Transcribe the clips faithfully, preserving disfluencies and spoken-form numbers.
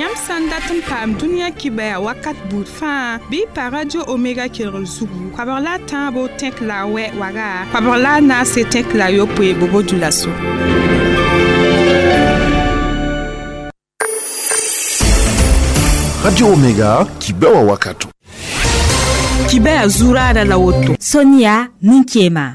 Yãmb sã n dat n paam dũniyã kibaya wakat buud fãa bɩ pa Radio Omega kelgr zugu koabg la a tãabo tẽk la a wɛ waga koabg la a naase tẽk la a yopoe bobo dulaso. Radio Omega kibawa wakato. Kibaya zurada la woto. Sonia Ninkema.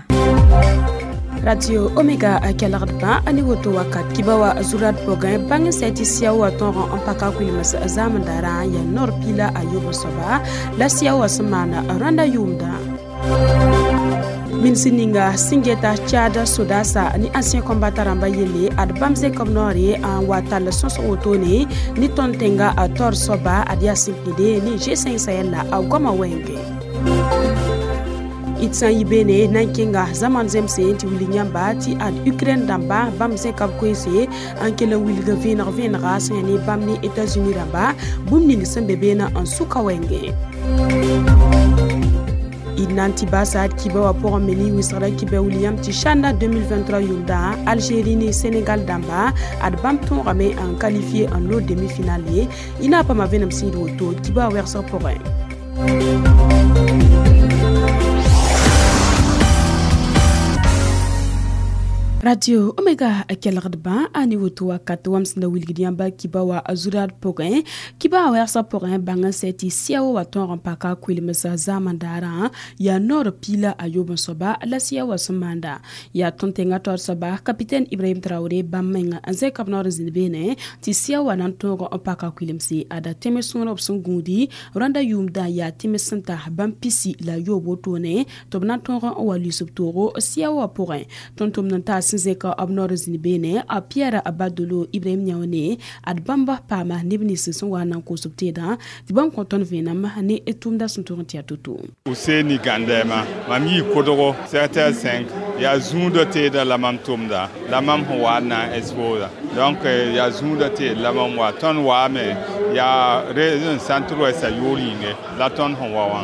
Radio Omega a kelgd bã a ne woto wakat kiba wa zurad pʋgẽ bãng sɛ tɩ sɩa wa tõog n paka kʋɩlems zaamdaarã yaa noor piila a yob soaba la sɩa wa sẽn maana rãnda yʋʋmdã. Ministre ninga sẽn geta Tchad sodasa ni ancien combattant rãmba yelle ad bãmb zẽk b noore n wa tall sõsg wotone ne tõnd tẽnga a taoor soaba ad yaa sẽn kẽde ne G cinq Sahel la a goama wɛɛngẽ. D sã n yi beene na n kẽnga zaman zemse tɩ wilg yãmba tɩ ad Ukraine dãmba bãmb zẽka b koeese n kell n wilg vẽeneg vẽenega sẽn yaa ne bãmb ne États-Unis rãmba bũmb ning sẽn be beene n sʋka wɛɛngẽ. D na n tɩ baasa d kiba wã pʋgẽ me ne wɩsgrã kiba wil yãmb tɩ CHAN deux mille vingt-trois yʋʋmdã Algérie ne Sénégal dãmba ad bãmb tõogame n qualifié n loog demi-finale ye y na n paama vẽenem sĩid woto d kiba wã wɛgsg pʋgẽ. Radio Omega a kelgd bã a ne woto wakat wãmb sẽn da wilgd yãmba kiba wa zurad pʋgẽ kiba a wɛgsg pʋgẽ bãng n sɛ tɩ sɩa wa tõog n paka kʋɩlems zaamdaarã yaa noor piila a yob n soaba la sɩa wa sẽn maanda yaa tõnd tẽngã taoor soaba capitaine Ibrahim Traoré bãmb menga n zẽka b noor n zĩnd beene tɩ sɩa wa na n tõog n paka kʋɩlemse ada tẽms sõor b sẽn gũudi rãnda yʋʋmdã yaa tẽms sẽn ta bãmb pisi la yoob wotone tɩ b na n tõog n wa lʋɩs b toogo sɩa wa pʋgẽ. Tõnd tʋmd n taas zẽka b noor n zĩnd beene a Pierre Badolo Ibrahim Niaone ad bãmba paama neb nins sẽn wa n na n koos b teedã tɩ bãmb kõ tõnd vẽenem ne tʋʋmda sẽn tʋg n tɩ yaa to-to. Useni Gandema mam yii kodgo sept heures cinq yaa zũudã teedã la mam tʋmda la mam sẽn wa n na n exposa donc yaa zũudã teed la mam wa tõnd waame yaa région centre ouest a yʋʋr yĩnge la tõnd sẽn wa wã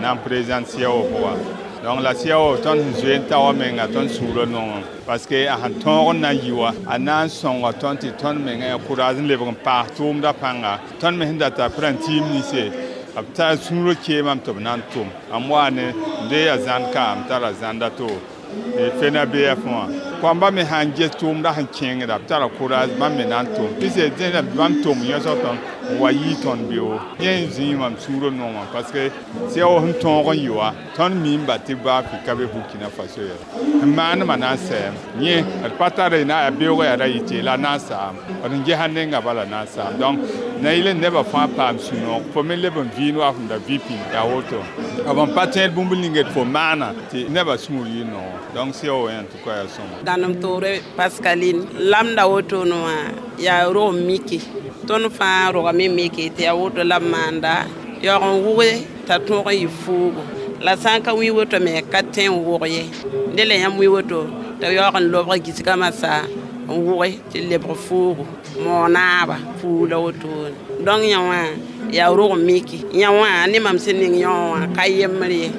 na n présente sia wã pʋga. Donc la sia wã tõnd sẽn zoe n ta wã menga tõnd sũurã nongẽ parce que a sẽn tõog n na n yi wã a na n sõnga tõnd tɩ tõnd menga yaa courage n lebg n paas tʋʋmdã pãnga tõnd me sẽn data p rãn tiim ninse b tar sũurã keemame tɩ b na n tʋm m wa ne n dee yaa zãnd ka m tara zãnda to fena B F wã koamba me sãn ges tʋʋmdã sẽn kẽngda b tara courage bãmb me na n tʋm pɩse dẽna bãmb tʋm yõsg tõnd n wa yii tõnd beoog yẽ n zĩig mam sũurã nongã parce que sɩa wa sẽn tõog n yɩ wã tõnd miimba tɩ baa ka be Burkina Faso ye n maandmã na n sɛɛm yẽ d pa tara na yaa beoogã yaa ra yɩ la na n saam d n gesa nenga bala na n saam donc na yɩl n nebã fãa paam sũ-noog fo me leb n vɩɩnd wa fõm da vɩ pĩnd yaa woto b n pa tẽed bũmb ning d fo maana tɩ nebã sũur yɩ noog donc sɩa wa en tout cas yaa sõma. Dãnem toore Pascaline lamda wotone wã yaa rog mike tõnd fãa rogame mike tɩ yaa woto la b maanda yaoog n wʋge t'a tõog n yɩ fuugo la sã n ka wĩ woto me ka tẽ n wʋg ye dẽ la yãmb wĩ woto t'a yaoog n lobg gisgã masã n wʋge tɩ lebg fuugo moonaaba fuug la wotone donc yã wã yaa rog mike yã wã ne mam sẽn ning yõ wã ka yembr ye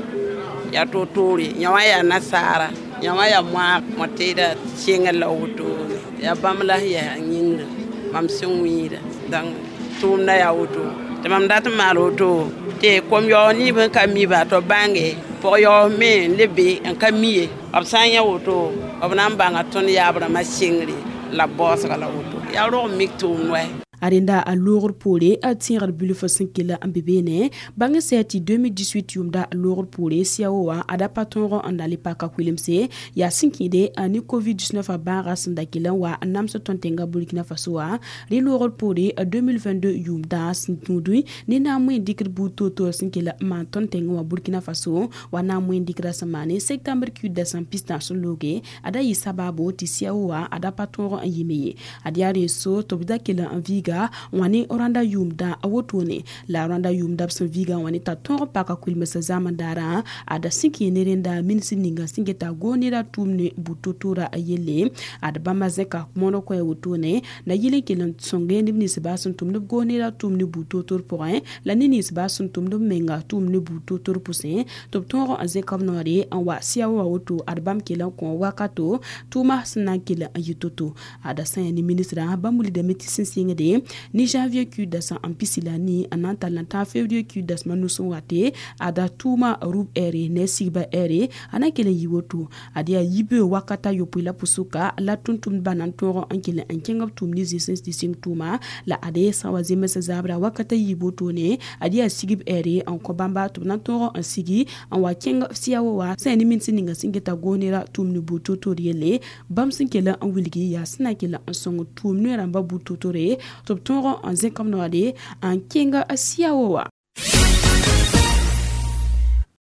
yaa to-toore yã wã yaa nasaara yã wã yaa moaag mõ-teedã sẽngr la wotone yaa bãmb la sẽn yaa yĩngr mam sẽn wĩida donc tʋʋmdã yaa woto tɩ mam dat n maal woto tɩ kom-yaoog nib n ka miba tɩ b bãnge pʋg-yaoog me n le be n ka mi ye b sã n yã woto b na n bãnga tõnd yaab rãmbã sɩngre la b baoosga la woto yaa rog mik tʋʋmd wɛ. A rẽnda a loogr poore a tẽegd bilf sẽn kell n be beene bãng sɛ tɩ deux mille dix-huit yʋʋmda loogr poore sɩa wã a da pa tõog n na le paka kʋɩlemse yaa sẽn kẽede ne covid dix-neuf a bãaga sẽn da kell n wa n nams tõnd tẽnga Burkina Faso wã rẽ loogr poore deux mille vingt-deux yʋʋmdã sẽn tũudẽ ne na n moẽ dɩkd buud toor-toor sẽn kell n maan tõnd tẽngã wã Burkina Faso wa na n moẽ dɩkdã sẽn maane septembre kuida sẽn pistã sẽn looge a da yɩ sabaabo tɩ sɩa wã a da pa tõog n yɩme ye ad yaa rẽ so tɩ b da kell n viiga wã ne rãnda yʋʋmdã a wotone la rãnda yʋʋmdã b sẽn viigã wã ne t'a tõog n paka kʋɩlems zaamdaarã a da sẽn kẽ ne rẽnda ministr ninga sẽn geta goonera tʋʋm ne bu-to-toorã yelle ad bãmba zẽka mõneg koɛɛ wotone na yɩl n kell n sõnge neb nins baa sẽn tʋmd b goonera tʋʋm ne bu-to-toor pʋgẽ la ne nins baa sẽn tʋmd b menga tʋʋm ne bu-to-toor pʋsẽ tɩ b tõog n zẽka b noore n wa sɩa wa woto ad bãmb kell n kõ wakato tʋʋma sẽn na n kell n yɩ to-to ada sã n yaa ne ministrã bãmb wilgdame tɩ sẽn sɩngde wotone ni janvier ku dasa n pisi la ni n na n tall n tãag février ku dasma nus n wate ada tʋʋma rub ɛɛre ne sigba ɛɛre a na n kell n yi woto ad yaa yibe wakata yopoe la pʋsʋka la tʋm-tʋmdbã na n tõog n kell n kẽng b tʋʋm ne zĩ sẽn tɩ sɩng tʋʋma la ade sã n wa zems zabra wakata yiib wotone ad yaa sigb ɛɛre n kõ bãmba tɩ b na n tõog n sigi n wa kẽng siawo wa sã ne min sẽn ninga sẽn geta goos nera tʋʋm ne buud to-to-r yelle bãmb sẽn kell n wilgi yaa sẽn na n kell n sõng tʋʋm ne rãmba buud to-tore tɩ b tõog n zẽk b noode n kẽng siawo wa.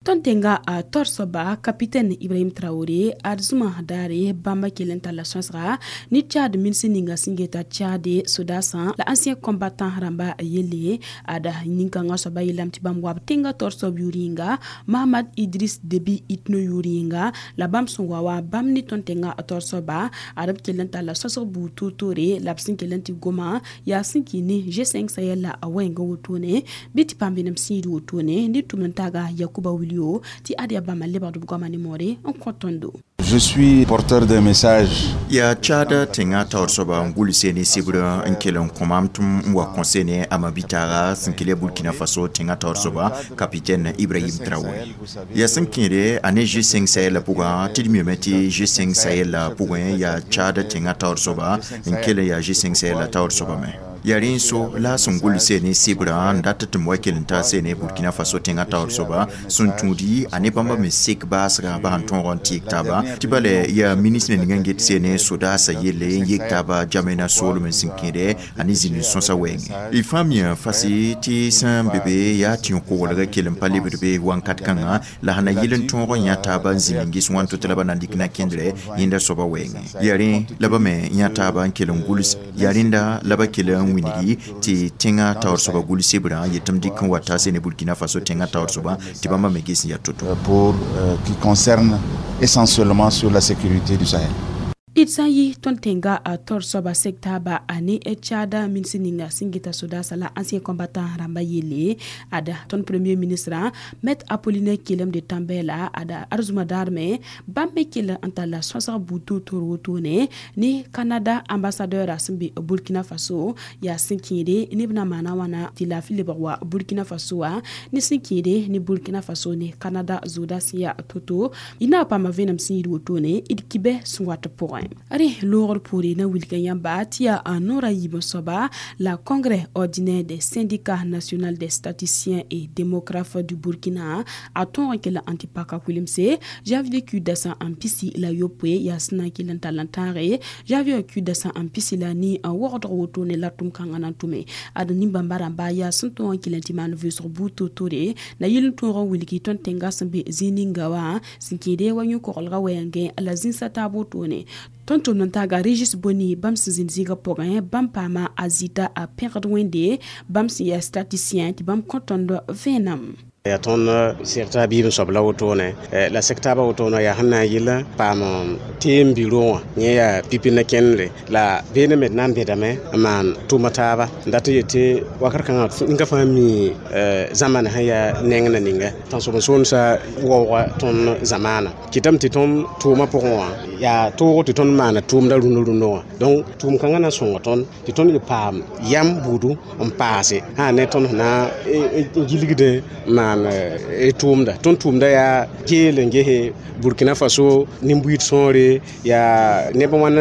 Tõnd tẽnga a taoor soaba capitaine Ibrahim Traoré ad zũma daare bãmba kell n talla sõsga ne Tchad minsẽ ninga sẽn geta Tchad sodasã la ancien combattant rãmba yelle ada nin-kãngã soaba yeelame tɩ bãmb wa b tẽnga taoor soab yʋʋr yĩnga Mahamad Idris Deby Itno yʋʋr yĩnga la bãmb sẽn wa wa bãmb ne tõnd tẽnga taoor soaba ad b kell n talla sõsg buud toor-toore la b sẽn kell n tɩ goma yaa sẽn kɩ ne G cinq Sahel la a wɛɛngã wotone bɩ tɩ paam vẽenem sĩid wotone ne tʋm n taaga Yakuba Wili ti ad yaa bãmba lebgd b goama ne moore n kõ tõndo. Je suis porteur d'un message. Ya Tchad tẽŋa taoor soaba n gʋlse ne sebr n kell n kõ maam tɩ m wa kõse ne a mabitaara sẽn kell ya Burkina Faso tẽŋa taoor soaba capitaine Ibrahim Traoré. Ya sẽn kẽede a ne G cinq Sahel pʋgã tɩ d miame tɩ G cinq Sahel pʋgẽ yaa Tchad tẽŋa taoor soaba n kell n yaa G cinq Sahel taoor soaba me. Ya rẽ so la sẽn gʋlse ne sebrã n dat tɩ m wa kell n taa sene Burkina Faso tẽŋa taoor soaba sẽn tũudi a ne bãmba me sek baasga bas n tõog n tɩɩg taaba tɩ bala yaa ministre ning n get sene sodaasã yelle n yek taaba Jamena soolem n sẽn kẽede a ne zĩnd sõsa wɛɛngẽ y fãa miã fase tɩ sẽn be be yaa tĩ-koglga kell n pa lebd be wãnkat kãngã la sẽn na yɩl n tõog n yã taaba n zĩnd n ges wãnto tɩ la ba na n dɩk na kẽndrɛ yẽnda soaba wɛɛngẽ yaa rẽ la ba me yã taaba n kell n gʋls yaa rẽnda la ba kell n wĩnigi tɩ tẽŋa taoor soaba gʋls sebrã yetɩ m dɩk n wa taa sene Burkina Faso tẽŋa taoor soaba tɩ bãmba me ges n yaa to-to. Pour euh, qui concerne essentiellement sur la sécurité du Sahel. D sã n yi tõnd tẽnga a taoor soaba sek taaba a ne Tchad mins ninga sẽn geta sodaasã la ancien combattant rãmba yelle ada tõnd premier ministre maître Apollinaire Kyélem de Tambèla ada arzuma daar me bãmb me kell n talla sõsg buud to-to-r wotone ne Canada ambassadeur sẽn be Burkina Faso yaa sẽn kẽede neb na maana wãna tɩ laafɩ lebg wa Burkina Faso wa ne sẽn kẽede ne Burkina Faso ne Canada zooda sẽn yaa to-to y na paama vẽenem sẽn yid wotone d kibɛ sẽn wat pʋgẽ. Are loogr poore na wilga yãmba tɩ yaa a noora yiib soaba la congrès ordinaire des syndicats national des statisticiens et démographes du Burkina a tõog n kell n tɩ paka kulemse janvier ku dasã n pisi la yopoe yaa sẽn na n kell n tall n tãage janvier ku dasã n pisi la ni n wogdg wotone la tʋm-kãngã na n tʋme ad nin-bãmba rãmba yaa sẽn tõog n kell n tɩ maan vʋʋsg buud to-tore na yɩl n tõog n wilgi tõnd tẽnga sẽn be zĩig ninga wã sẽn kẽede wa yõ-koglgã wɛɛngẽ la zĩnsã taab wotone tõnd tʋmd n taaga Régis Boni bãmb sẽn zĩnd zĩigã pʋgẽ bãmb paama a zɩta a pẽgd wẽnde bãmb sẽn yaa statisticien tɩ bãmb kõ tõnd vẽenam. Yaa tõnd seg t'a biib n soab la wotone la seg taabã wotone yaa sẽn na n yɩl paam teem biro wã yẽ yaa pipi na kẽndre la beene me d na n bẽdame n maan tʋma taaba n dat n yetɩ wakat kãngã ninga fãa mi zãmana sẽn yaa neng na ninga tãnsoben-soolmsã waooga tõnd zamaana kɩtame tɩ tõnd tʋʋmã pʋgẽ wã yaa toog tɩ tõnd maana tʋʋmda rũndã rũndã wã donc tʋʋm kãngã na n sõnga tõnd tɩ tõnd y paam yam buudu n paase sã ne tõnd sẽn na n gilgdẽ n maan tʋʋmda tõnd tʋʋmda yaa geel n gese Burkina Faso nin-buiid sõore yaa neb wãn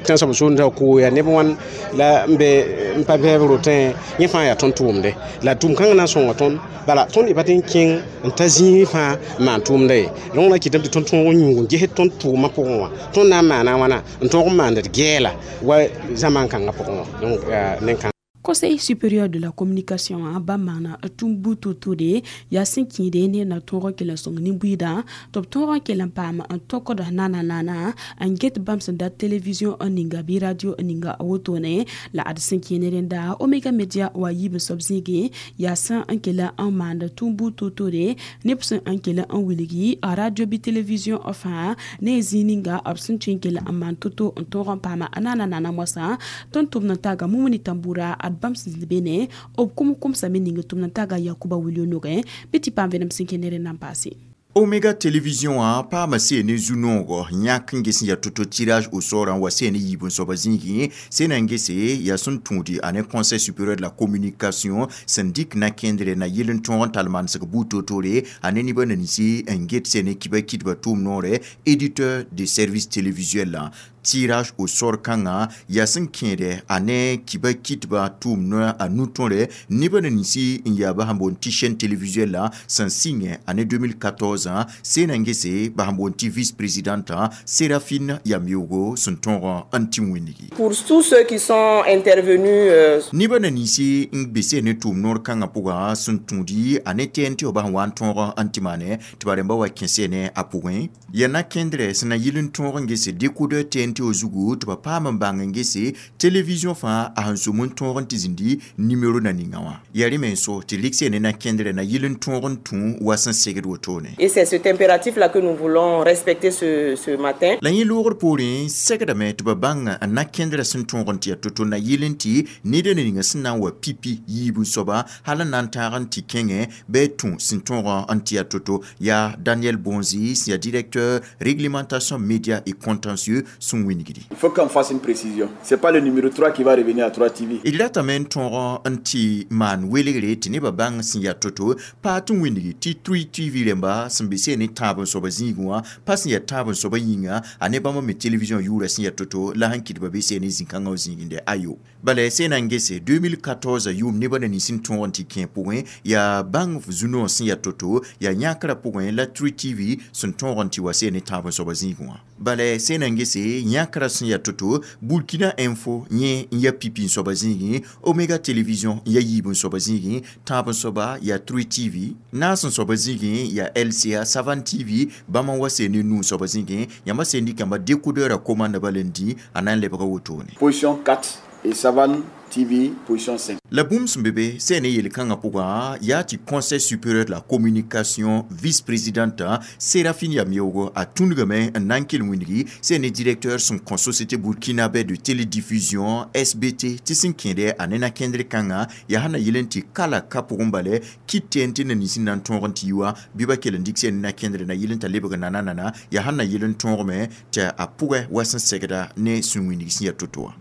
tãnsoab soolmsã koo yaa neb wãn la n be n pa bɛɛb rotẽ yẽ fãa yaa tõnd tʋʋmde la tʋʋm kãngã na n sõnga tõnd bala tõnd y pa tɩ n kẽng n ta zĩig fãa n maan tʋʋmda ye donc na kɩtame tɩ tõnd tõog n yũug n ges tõnd tʋʋmã pʋgẽ wã tõnd na n maana wãna n tõog n maand d gɛɛla wa zamaan kãngã pʋgẽ wã donc nen-kãng. Conseil supérieur de la communication bãmb maana tũm buud to-tore yaa sẽn kẽede ne na tõog n kell n sõng nin-buiidã tɩ b tõog n kell n paam n tokd nana nana n get bãmb sẽn dat télévision n ninga bɩ radio n ninga wotone la ad sẽn kẽ ne rẽnda Omega Media wa yiib n soab zĩigẽ yaa sẽn n kell n maand tũm buud to-tore neb sẽn n kell n wilgi a radio bɩ télévision fãa ne zĩig ninga b sẽn tõe n kell n maan to-to n tõog n paama nana nana moasã tõnd tʋmd n taaga Mumuni Tambura ad bãmb sẽn be ne b kʋm-kʋmsame ning tʋmd n taaga Yakuba Wilio nogẽ bɩ tɩ paam vẽenem sẽn kẽ ne rẽndã n paase. Omega Télévision a paama seene zu-noogɔ yãk n ges n yaa to-to tirage au sort n wa seene yiib n soaba zĩigẽ sẽna n gese yaa sẽn tũudi a ne Conseil supérieur de la communication sẽn dɩk na-kẽndre na yel n tõog n tall manesg buud toor-toore a ne nebã ninsi n get seene kiba kɩdba tʋʋm noore éditeur de service télévisuel la tirage au sort kãngã yaa sẽn kẽede a ne kiba kɩtba tʋʋm noa a nu-tõre nebã ninsi n yaa bas n boond tɩ chaîne télévisuelle la sẽn sɩngẽ a ne deux mille quatorze sẽna n gese bas n boond tɩ vice-présidente Séraphine Yameogo sẽn tõog n tɩ wĩndgi. Pour tous ceux qui sont intervenus euh... Nebã ninsi n be seen ne tʋʋm noor kãngã pʋgã sẽn tũudi a ne T N T b bas n wa n tõog n tɩ maane tɩ ba rẽmba wa kẽ seene a pʋgẽ yaa na-kẽndrɛ sẽn na yɩl n tõog n gese décodeur T N T o zugu tɩ ba paam n bãng n gese télévision fãa a sẽn sʋm n tõog n tɩ zĩndi numéro na ninga wã yaa rẽ me n so tɩ rɩk seene na-kẽndrɛ na yɩl n tõog n tũ wa sẽn segd wotone. Et c'est cet impératif là que nous voulons respecter ce, ce matin. La yẽ loogr poorẽ segdame tɩ ba bãng n na-kẽndrã sẽn tõog n tɩ yaa to-to na yɩl n tɩ ned n ninga sẽn na n wa pipi yiib n soaba hal n na n taag n tɩ kẽngẽ bɩ tũ sẽn tõog n tɩ yaa to-to yaa Daniel Bonzi sẽn yaa directeur réglementation média et contentieux sẽn wingdi. Il faut qu'on fasse une précision. C'est pas le numéro trois qui va revenir à trois T V. D ratame n tõog n tɩ maan welgre tɩ nebã bãng sẽn yaa to-to paa tɩ wĩndgi tɩ trois T V rẽmba sẽn be seen ne tãab n soaba zĩigẽ wã pa sẽn yaa tãab n soaba yĩnga a ne bãmb me télévision yʋʋra sẽn yaa to-to la sẽn kɩtba be seen ne zĩ-kãngã zĩigende ayo bala sẽn na n gese deux mille quatorze yʋʋm nebã na nins n tõog n tɩ kẽ pʋgẽ yaa bãng zu-noog sẽn yaa to-to yaa yãkrã pʋgẽ la trois T V sẽn tõog n tɩ wa seen ne tãab n soaba zĩigẽ wã bala sẽn na n gese yãkrã sẽn yaa to-to Burkina Info yẽ n yaa pipi n soaba zĩigẽ Omega Télévision n yaa yiib n soaba zĩigẽ tãab n soaba yaa trois T V naas n soaba zĩigẽ yaa L C A Savane T V bãmb n wa seen ne nuu soaba zĩigẽ yãmba seen dɩkãmba décodeur a commande bala n dĩ a na n lebga wotone. Position quatre et Savane T V position cinq. La bũmb sẽn be be sẽn ne yel-kãngã pʋgã yaa tɩ Conseil supérieur de la communication vice-présidente Séraphine Yameogo a tũndgame n na n kell wĩndgi sẽn ne directeur sẽn kõ Société burkinabé de télédiffusion S B T tɩ sẽn kẽede a ne na-kẽndr kãngã yaa sẽn na yɩl n tɩ kala ka pʋgẽ bale kɩt T N T na nins n na n tõog n tɩ yi wã bɩ ba kell n dɩk sẽn ne na-kẽndr na yɩl n t'a lebg nana nana yaa sẽn na yɩl n tõogame tɩ a pʋgẽ wa sẽn segda ne sũ wĩndg sẽn yaa to-to wã.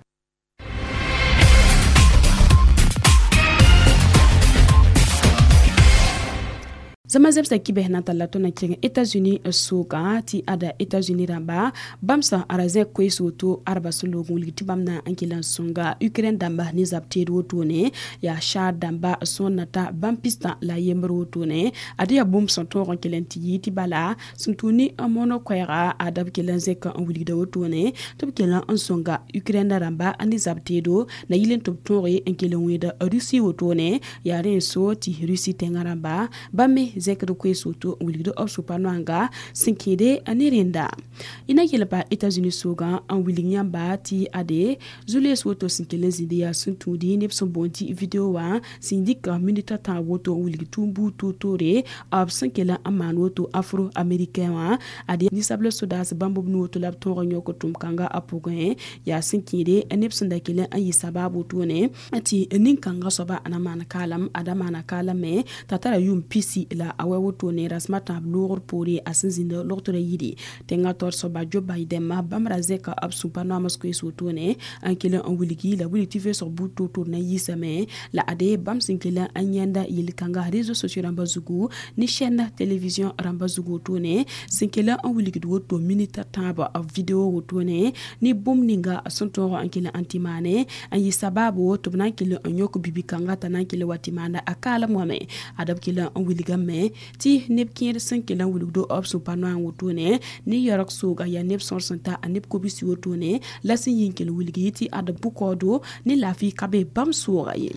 Zãma zɛbsã kibs na n talla tõnd na kẽng États-Unis sʋka tɩ ada États-Unis rãmba bãmb sã ra zẽk koees woto arba sẽn loog n wilg tɩ bãmb na n kell n sõnga Ukraine dãmba ne zab teed wotone yaa saar dãmba sõor na ta bãmb pistã la yembr wotone ad yaa bũmb sẽn tõog n kell n tɩ yɩ tɩ bala sẽn tũ ne n mono koɛɛga ada b kell n zẽk n wilgda wotone tɩ b kell n sõnga Ukraine rãmba ne zab teedo na yɩl n tɩ b tõoge n kell n wẽeda Russie wotone yaa rẽ n so tɩ Russie tẽngã rãmba bãmb me zẽkd koees woto n wilgd b sʋpa noanga sẽn kẽede ne rẽnda y na yel pa États-Unis sʋgã n wilg yãmba tɩ ade zu-lees woto sẽn kell n zĩnd yaa sẽn tũudi neb sẽn boond tɩ video wã sẽn dɩk minita tãab woto n wilg tũum buud toor-toore b sẽn kell n maan woto afro américain wã ade ninsabl sodaas bãmb b nu woto la b tõog n yõk tʋm-kãnga a pʋgẽ yaa sẽn kẽede neb sẽn da kell n yɩ sabaab wotone tɩ nin-kãngã soaba na maan kaalam ada maana kaalam me t'a tara yʋʋm pisi la a wa wotone rasmã tãab loogr poore a sẽn zĩnd logtrã yiri tẽngã taoor soaba Joe Biden bãmb ra zẽka b sũpa noams koees wotone n kell n wilgi la wilg tɩ vʋʋsg buud toor-toor na yiisame la ade bãmb sẽn kell n yãenda yel-kãnga réseaux sociaux rãmba zugu ne chaîne télévision rãmba zugu wotone sẽn kell n wilgd woto minita tãab video wotone ne bũmb ninga sẽn tõog n kell n tɩ maane n yɩ sabaabo tɩ b na n kell n yõk bibi-kãnga t'a na n kell wa tɩ maanda a kaalem wã me ada b kell n wilgame tɩ neb kẽer sẽn kell n wilgdo b sũpa noan wotone ne yaoog sooga yaa neb sõor sẽn ta a neb kobisi wotone la sẽn yɩ n kell wilgi tɩ ad bʋkaoodo ne laafɩ ka be bãmb sooga ye.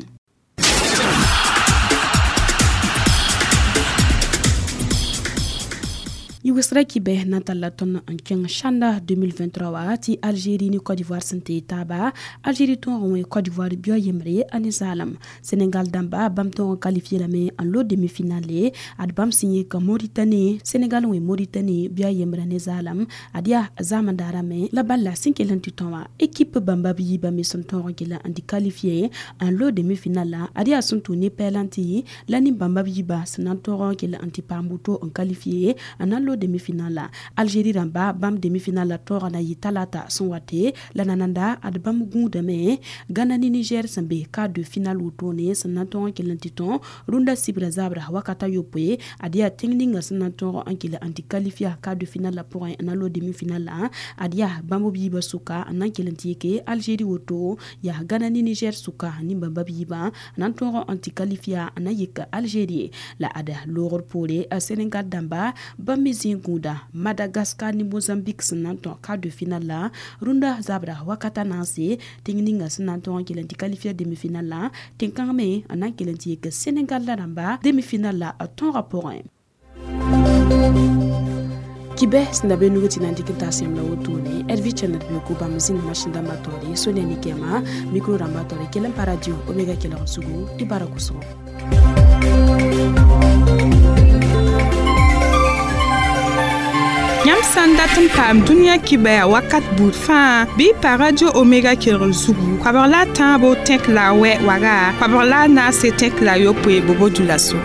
Yʋgsra kibɛ na n talla tõnd n kẽng sãnda deux mille vingt-trois wa tɩ Algérie ne Côte d'Ivoire sẽn tee taaba. Algérie tõog n wẽ Côte d'Ivoire bia yembre a ne zaalem. Sénégal dãmba, bãmb tõog n qualifié lame n lo demi-finale ad bãmb sẽn yɩ ka Mauritanie. Sénégal wẽ Mauritanie bia yembrã ne zaalem. Ad yaa zaamendaarã me la bala sẽn kell n tɩ tõ wã, équipe bãmba b yiibã me sẽn tõog n gela n tɩ qualifié n lo demi-finale la ad yaa sẽn tʋ ne pɛlãntɩ la nin-bãmba b yiibã sẽn na n tõog n kell n tɩ paam woto n qualifié n na n lo demi-finale la. Algérie rãmba, bãmb demi-finale la tõoga na yɩ talata sẽn wate la nananda ad bãmb gũudame Gana ne Niger sẽn be quart de finale wotone sẽn na n tõog n kell n tɩ tõ rũndã sibra zabra wakata yopoe. Ad yaa tẽng ninga sẽn na n tõog n kell n tɩ qualifia quart de finale la pʋgẽ n na lo demi-finale la, ad yaa bãmb b yiibã sʋka n na n kell n tɩ yeke Algérie woto. Yaa Gana ne Niger sʋka nin-bãmba b yiibã n na n tõog n tɩ qualifia n na yik Algérie la. Ad loogr poore, Sénégal dãmba, bãmb me zĩ gũuda Madagascar ne Mozambique sẽn na n tõ quart de finale la rũndã zabra wakata naase. Tẽng ninga sẽn na n tõog n kell n tɩ qualifia demi-finale la, tẽn-kãng me n na n kell n tɩ yik Sénégal la rãmba demi-finale la tõogã pʋgẽ. Kibɛ sẽn da be nug tɩ na n dɩk n taa sẽm la wotone rv channel be ko bãmb zĩnd masẽn dãmbã taoore sonia ne kɛɛma micro rãmbã taoore kell n pa radio Omega kelg sugu y bara kʋsgo. Yãmb sã n dat n paam dũniyã kibɛa wakat buud fãa, bɩ y pa Radio Omega kelgr zugu, koabg la a tãabo tẽk la a wɛ waga, koabg la a naase tẽk la a yopoe bobo dulaso.